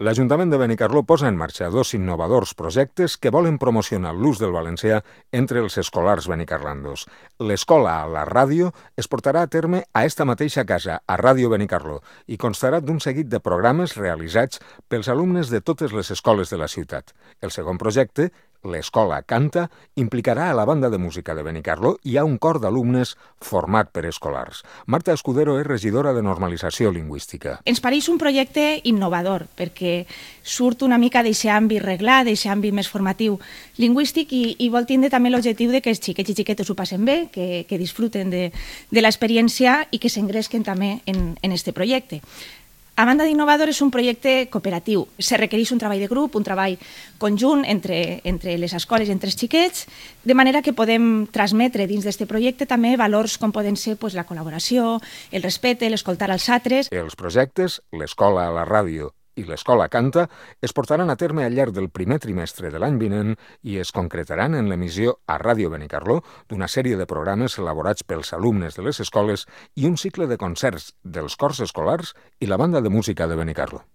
L'Ajuntament de Benicarló posa en marxa dos innovadors projectes que volen promocionar l'ús del valencià entre els escolars benicarlandos. L'escola a la ràdio es portarà a terme a esta mateixa casa, a Ràdio Benicarló, i constarà d'un seguit de programes realitzats pels alumnes de totes les escoles de la ciutat. El segon projecte, l'Escola Canta, implicarà a la banda de música de Benicarló i a un cor d'alumnes format per escolars. Marta Escudero és regidora de Normalització Lingüística. Ens pareix un projecte innovador perquè surt una mica d'aquest àmbit reglat, d'aquest àmbit més formatiu lingüístic i vol tindre també l'objectiu de que els xiquets i xiquetes ho passen bé, que disfruten de l'experiència i que s'engresquen també en este projecte. A banda d'innovador, és un projecte cooperatiu. Se requereix un treball de grup, un treball conjunt entre les escoles i entre els xiquets, de manera que podem transmetre dins d'aquest projecte també valors com poden ser la col·laboració, el respecte, l'escoltar als altres. Els projectes, l'escola a la ràdio i l'escola Canta, es portaran a terme al llarg del primer trimestre de l'any vinent i es concretaran en l'emissió a Ràdio Benicarló d'una sèrie de programes elaborats pels alumnes de les escoles i un cicle de concerts dels cors escolars i la banda de música de Benicarló.